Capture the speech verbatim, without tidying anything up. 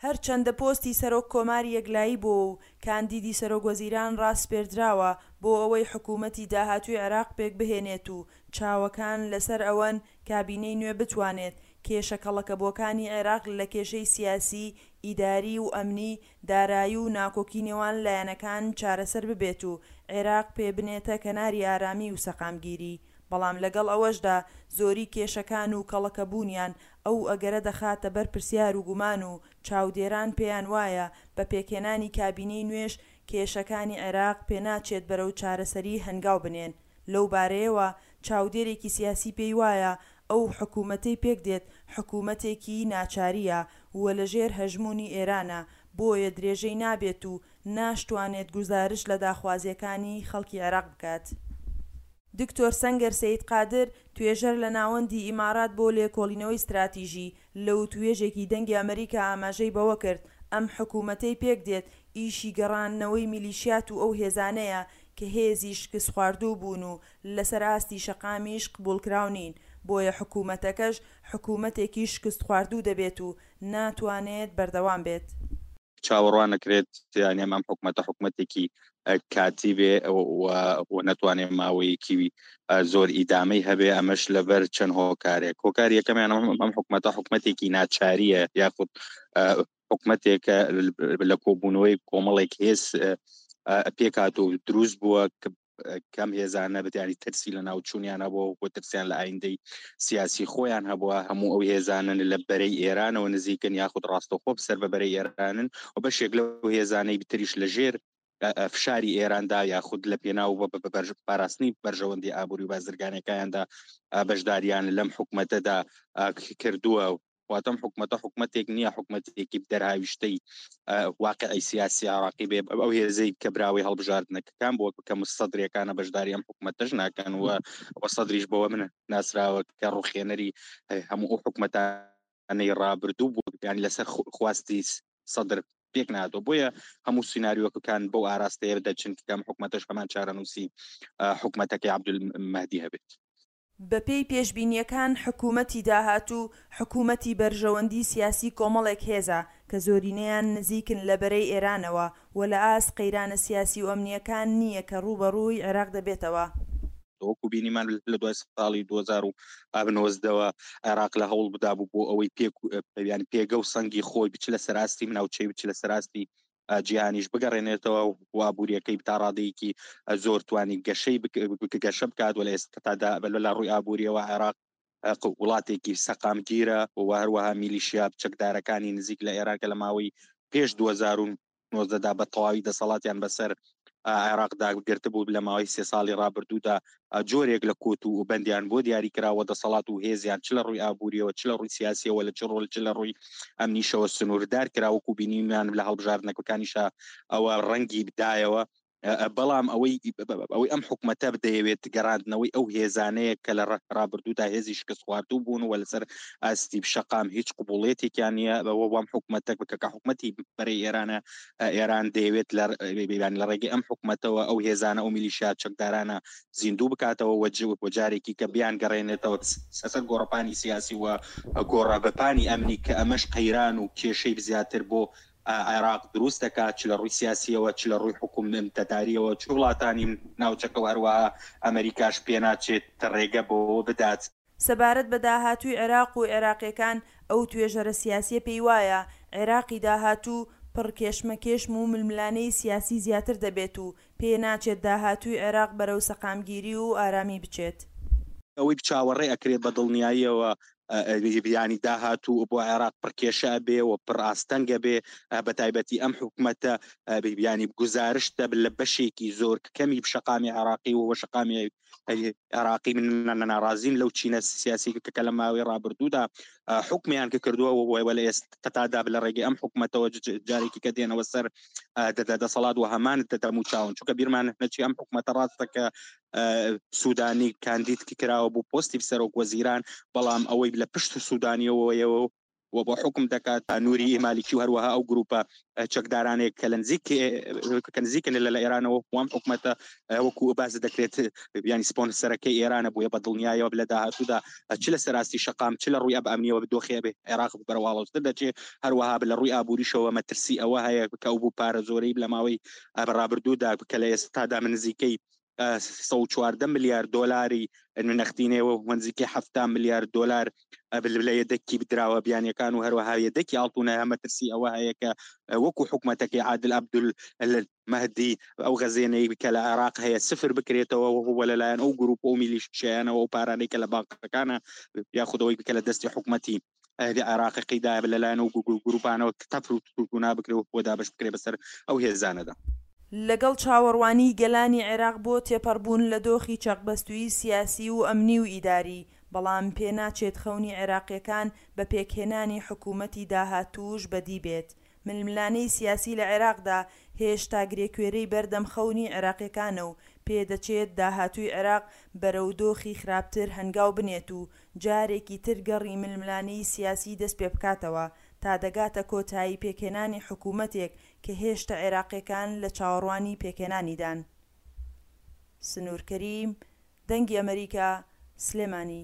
هەرچەندە پۆستی سەرۆک کۆمار یەکلایی بۆوە و کاندیدی سەرۆک وەزیران راسپێردراوە بۆ ئەوەی حکوومەتی داهاتووی عێراق پێکبهێنێت و چاوەکان لەسەر ئەوەن کابینەی نوێ بتوانێت کێشە کەڵەکەبووەکانی عێراق لە کێشەی سیاسی، ئیداری و ئەمنی، دارایی و ناکۆکی نێوان لایەنەکان چارەسەر ببێت و عێراق پێ بنێتە کەناری ئارامی و سەقامگیری، بەڵام لەگەڵ ئەوەشدا زۆری کێشەکان و کەڵەکەبوونیان ئەو ئەگەرە دەخاتە بەر پرسیار و گومان و چاودێران پێیان وایە بە پێکهێنانی کابینەی نوێش کێشەکانی عێراق پێناچێت بەرەو چارەسەری هەنگاو بنێن. لەو بارەیەوە چاودێرێکی سیاسی پێی وایە ئەو حکوومەتەی پێکدێت حکوومەتێکی ناچارییە و لەژێر هەژموونی ئێرانە، بۆیە درێژەی نابێت و ناشتوانێت گوزارشت لە داخوازییەکانی خەڵکی عێراق بکات. دکتۆر سەنگەر سەید قادر، توێژەر لە ناوەندی ئیمارات بۆ لێکۆڵینەوەی ستراتیژی، لە وتوێژێکی دەنگی ئەمەریکا ئاماژەی بەوەکرد ئەم حکومەتەی پێکدێت ئیشی گەڕاندنەوەی میلیشیات و ئەو هێزانەیە کە هێزی شکستخواردوو بوون و لەسەر ئاستی شەقامیش قبوڵکراو نین، بۆیە حکومەتەکەش حکومەتێکی شکستخواردوو دەبێت و ناتوانێت بەردەوام بێت. چاوەڕوان نەکرێت یانی ئەم حکومەتە حکومەتێکی کاتی بێ و نەتوانێت ماوەیەکی زۆر ئیدامەی هەبێ، ئەمەش لەبەر چەند هۆکارێک. هۆکار یەکەمیان ئەم حکومەتە حکومەتێکی ناچاریە یاخود حکومەتێکە لە کۆبوونەوەی کۆمەڵێک هێز پێکات و دروست بووە کەم هێزانە بتیانی ترسی لە ناوچوونیان هەبووە و ترسیان لە ئایندەی سیاسی خۆیان هەبووە. هەموو ئەو هێزانن لە بەرەی ئێرانەوە نزیکن یاخود ڕاستەوخۆ سەر بە بەرەی ئێرانن و بەشێک لەو هێزانەی بتریش لەژێر فشاری ئێراندا یاخود لە پێناو پاراستنی بەرژەوەندی ئابووری و بازرگانەکانیاندا بەشداریان لەم حکومەتەدا کردووە. واتەم حکومەتە حکومەتێک نییە حکومەتێکی دەرهاویشتەی واقعی سیاسی عراقی بێ. ئەو هێزەی کە براوەی هەڵبژاردنەکان بووە کە مستەدرێکانە بەشداری ئەم حکومەتەش ناکەن و سەدریش بەوە من ناسراوە کە ڕوخێنەری هەموو ئەو حکومەتانەی ڕابردوو بوو، یانی لەسەر خواستی سەدر پێک ناتەوە. بۆیە هەموو سیناریۆکەکان بەو ئاراستەیە دەچن کە ئەم حکومەتەش هەمان چارەنووسی حکومەتەکەی عەبدولمەهدی هەبێت. بەپێی پێشبینییەکان حکوومەتی داهاتوو حکوومەتی بەرژەوەندی سیاسی کۆمەڵێک هێزە کە زۆرینەیان نزیکن لە بەرەی ئێرانەوە و لە ئاست قەیرانە سیاسی و ئەمنییەکان نییە کە ڕووبەڕووی عێراق دەبێتەوە. وەکو بینیمان لە دوای ساڵی دوو هەزار و نۆزدەوە عێراق لە هەوڵ بدابوو بۆ ئەوەی پێک پێگە و سەنگی خۆی بچ لە سەراستی ناوچەی بچ لە سەراستی جیهانیش بگەڕێنێتەوە و ئابووریەکەی تا ڕادەیەکی زۆر توانی گەشەی گەشە بکات و لە ئێستادا لە ڕووی ئابووریەوە عێراق وڵاتێکی سەقامگیرە و هەروەها میلیشیا چەکدارەکانی نزیک لە ئێران کە لە ماوەی پێش دوو هەزار و نۆزدەدا بە تەواوی دەسەڵاتیان بەسەر عێراقدا گرتبوو لە ماوەی سێ ساڵی ڕابردوودا جۆرێک لە کۆت و بەندیان بۆ دیاری کراوە دەسەڵات و هێزیان چ لە ڕووی ئابووریەوە چ لە ڕووی سیاسیەوە لە چ ڕۆل چ لە ڕووی ئەمنیشەوە سنووردار کرا، وەکو بینیمان لە هەڵبژاردنەکانیشا ئەوە ڕەنگی بدایەوە. بەڵام ئەوەی ئەوەی ئەم حکومەتە بدەیەوێت گەڕاندنەوەی ئەو هێزانەیە کە لە ڕابردوودا هێزی شکست خواردوو بوون و لەسەر ئاستی شەقام هیچ قبوڵێتێکیان نییە. بەوە وام حکومەتێک بکە کە حکومەتی بەرەی ئێرانە، ئێران دەیەوێت لە ڕێگەی ئەم حکومەتەوە ئەو هێزانە ئەو میلیشیا چەکدارانە زیندوو بکاتەوە و جارێکی کە بیان گەڕێنێتەوە سەر گۆڕەپانی سیاسی و گۆڕەپانی ئەمنی کە ئەمەش قەیران و کێشەی زیاتر بۆ عێراق دروست دەکات، چ لە ڕووی سیاسیەوە چ لە ڕووی حکومەتداریەوە چ وڵاتانی ناوچەکەوە، هەروەها ئەمریکاش پێناچێت ڕێگە بۆ بدات. سەبارەت بە داهاتووی عێراق و عێراقیەکان ئەو توێژەرە سیاسیە پێی وایە عێراقی داهاتوو پڕ کێشمەکێشم و ململانێی سیاسی زیاتر دەبێت و پێ ناچێت داهاتووی عێراق بەرەو سەقامگیری و ئارامی بچێت. ئەوەی چاوەڕێ ئەکرێت بە دڵنیاییەوە ینی داهاتوو بۆ عێراق پڕکێشە بێ و پڕ ئاستەنگە بێ، بە تایبەتی ئەم حکومەتە ینی گوزارشتە لە بەشێکی زۆر کەمی شەقامی عێراقی و شەقامی عێراقی من ناڕازین لەو چینە سیاسی کە لە ماوەی ڕابردوودا حکمیان کە کردووە و لە ئێستادا لە ڕێگەی ئەم حکومەتەوە جارێکی کە دێنەوە سەر دەسەڵات و هەمان دەموچاون، چونکە بیرمان نەچی ئەم حکومەتە ڕاستە کە سوودانی کاندید کراوە بۆ پۆستی سەرۆک وەزیران، بەڵام ئەوەی لە پشت سوودانیەوەیەوە و بۆ حوکم دەکات نوری مالیکی و هەروەها ئەو گروپە چەکدارانێک کە لە نزیک کە نزیکن لە ئێرانەوە وام حکومەتە وەکو باس دەکرێت ینی سپۆنسەرەکەی ئێرانە بووە بە دڵنیایەوە لە داهاتوودا چ لە سەراستی شەقام چ لە ڕووی ئەب ئەمنیەوە دۆخێ بێ عێراق بەرەواڵۆزتر دەچێت هەروەها لە ڕووی ئابووریشەوە مەترسی ئەوە هەیە کە ئەو بوو پارە زۆرەی لە ماوەی ڕابردوودا کە لە ئێستادا من نزیکەی سەد و چواردە ملیار دۆلاری نەختینەوە و نزیکەی حەفتا ملیار دۆلار لە یەدەکی بدراوە بیانیەکان و هەروەها یەدەکی ئاڵتونە مەترسی ئەوە هەیە کە وەکو حکومەتەکەی عادل عەبدول مەهدی ئەو غەزێنەی کە لە عێراق هەیە سفر بکرێتەوە و لەلایەن ئەو گروپ و میلیشیانەوە ئەو پارانەی کە لە بانقەکانە یاخودەوەی کە لە دەستی حکومەتی ئەهلی عێراقی دا لەلایەن ئەو گروپانەوە تەفر و تونا بکرێ و دابەش بکرێ بەسەر ئەو هێزانەدا. لەگەڵ چاوەڕوانیی گەلانی عێراق بۆ تێپەڕبوون لە دۆخی چەقبەستوویی سیاسی و ئەمنی و ئیداری، بەڵام پێناچێت خەونی عێراقییەکان بە پێکهێنانی حکوومەتی داهاتووش بەدی بێت. ململانێی سیاسی لە عێراقدا هێشتا گرێکوێرەی بەردەم خەونی عێراقییەکانە و پێدەچێت داهاتووی عێراق بەرەو دۆخی خراپتر هەنگاو بنێت و جارێکی تر گەڕی ململانێی سیاسی دەستپێبکاتەوە تا دەگاتە کۆتایی پێکهێنانی حکوومەتێک کە هێشتا عێراقییەکان لە چاوەڕوانی پێکهێنانیدان. سنوور کەریم، دەنگی ئەمەریکا، سلێمانی.